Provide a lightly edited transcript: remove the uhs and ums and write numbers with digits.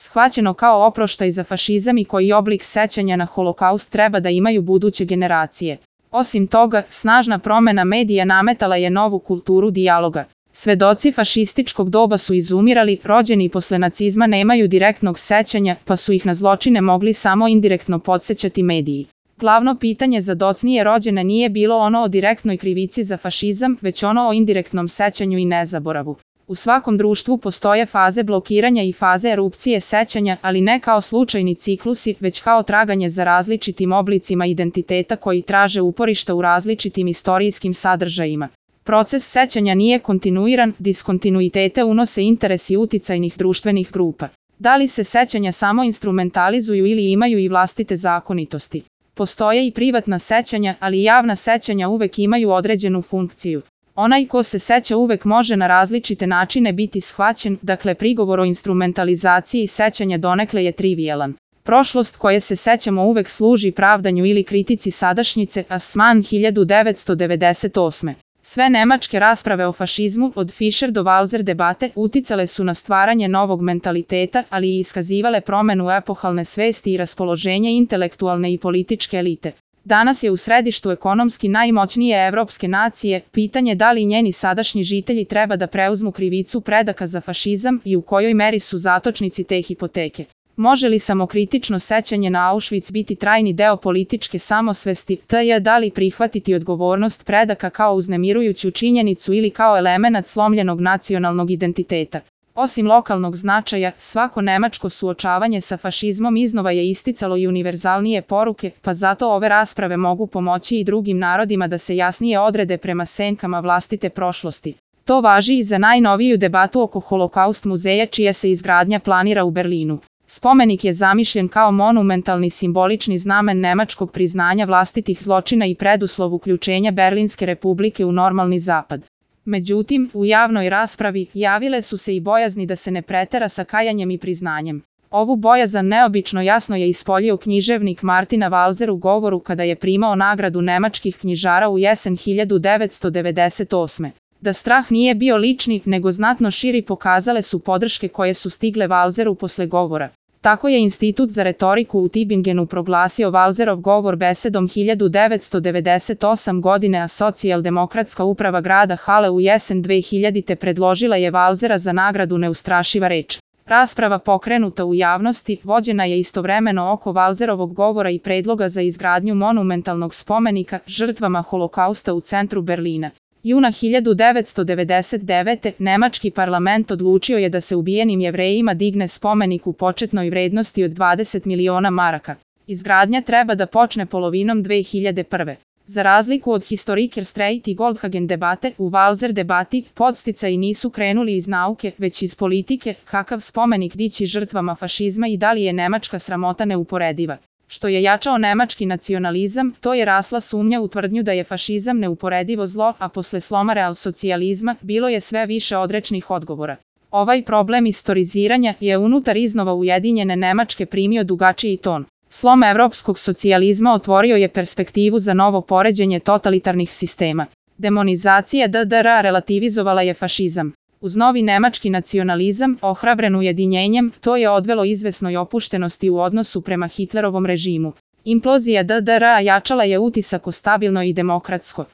shvaćeno kao oproštaj za fašizam i koji oblik sećanja na Holokaust treba da imaju buduće generacije. Osim toga, snažna promena medija nametala je novu kulturu dijaloga. Svedoci fašističkog doba su izumirali, rođeni posle nacizma nemaju direktnog sećanja, pa su ih na zločine mogli samo indirektno podsećati mediji. Glavno pitanje za docnije rođene nije bilo ono o direktnoj krivici za fašizam, već ono o indirektnom sećanju i nezaboravu. U svakom društvu postoje faze blokiranja i faze erupcije sećanja, ali ne kao slučajni ciklusi, već kao traganje za različitim oblicima identiteta koji traže uporišta u različitim istorijskim sadržajima. Proces sećanja nije kontinuiran, diskontinuitete unose interesi uticajnih društvenih grupa. Da li se sećanja samo instrumentalizuju ili imaju i vlastite zakonitosti? Postoje i privatna sećanja, ali javna sećanja uvek imaju određenu funkciju. Onaj ko se seća uvek može na različite načine biti shvaćen, dakle prigovor o instrumentalizaciji sećanja donekle je trivijalan. Prošlost koje se sećamo uvek služi pravdanju ili kritici sadašnjice, Assmann 1998. Sve nemačke rasprave o fašizmu, od Fischer do Walser debate, uticale su na stvaranje novog mentaliteta, ali i iskazivale promenu epohalne svesti i raspoloženja intelektualne i političke elite. Danas je u središtu ekonomski najmoćnije evropske nacije pitanje da li njeni sadašnji žitelji treba da preuzmu krivicu predaka za fašizam i u kojoj meri su zatočnici te hipoteke. Može li samokritično sećanje na Auschwitz biti trajni deo političke samosvesti, t.j. da li prihvatiti odgovornost predaka kao uznemirujuću činjenicu ili kao elemenat slomljenog nacionalnog identiteta? Osim lokalnog značaja, svako nemačko suočavanje sa fašizmom iznova je isticalo i univerzalnije poruke, pa zato ove rasprave mogu pomoći i drugim narodima da se jasnije odrede prema senkama vlastite prošlosti. To važi i za najnoviju debatu oko Holokaust muzeja čija se izgradnja planira u Berlinu. Spomenik je zamišljen kao monumentalni simbolični znamen nemačkog priznanja vlastitih zločina i preduslov uključenja Berlinske republike u normalni zapad. Međutim, u javnoj raspravi javile su se i bojazni da se ne pretera sa kajanjem i priznanjem. Ovu bojazan neobično jasno je ispoljio književnik Martina Walser u govoru kada je primao nagradu nemačkih knjižara u jesen 1998. Da strah nije bio lični, nego znatno širi pokazale su podrške koje su stigle Walseru posle govora. Tako je Institut za retoriku u Tübingenu proglasio Walserov govor besedom 1998. godine, a socijaldemokratska uprava grada Halle u jesen 2000. predložila je Walsera za nagradu Neustrašiva reč. Rasprava pokrenuta u javnosti vođena je istovremeno oko Walserovog govora i predloga za izgradnju monumentalnog spomenika žrtvama Holokausta u centru Berlina. Juna 1999. nemački parlament odlučio je da se ubijenim Jevrejima digne spomenik u početnoj vrednosti od 20 miliona maraka. Izgradnja treba da počne polovinom 2001. Za razliku od Historikerstreit i Goldhagen debate, u Walser debati podsticaji nisu krenuli iz nauke, već iz politike, kakav spomenik dići žrtvama fašizma i da li je nemačka sramota neuporediva. Što je jačao nemački nacionalizam, to je rasla sumnja u tvrdnju da je fašizam neuporedivo zlo, a posle sloma realsocijalizma bilo je sve više odrečnih odgovora. Ovaj problem istoriziranja je unutar iznova ujedinjene Nemačke primio dugačiji ton. Slom evropskog socijalizma otvorio je perspektivu za novo poređenje totalitarnih sistema. Demonizacija DDR relativizovala je fašizam. Uz novi nemački nacionalizam, ohrabren ujedinjenjem, to je odvelo izvesnoj opuštenosti u odnosu prema Hitlerovom režimu. Implozija DDR jačala je utisak o stabilno i demokratsko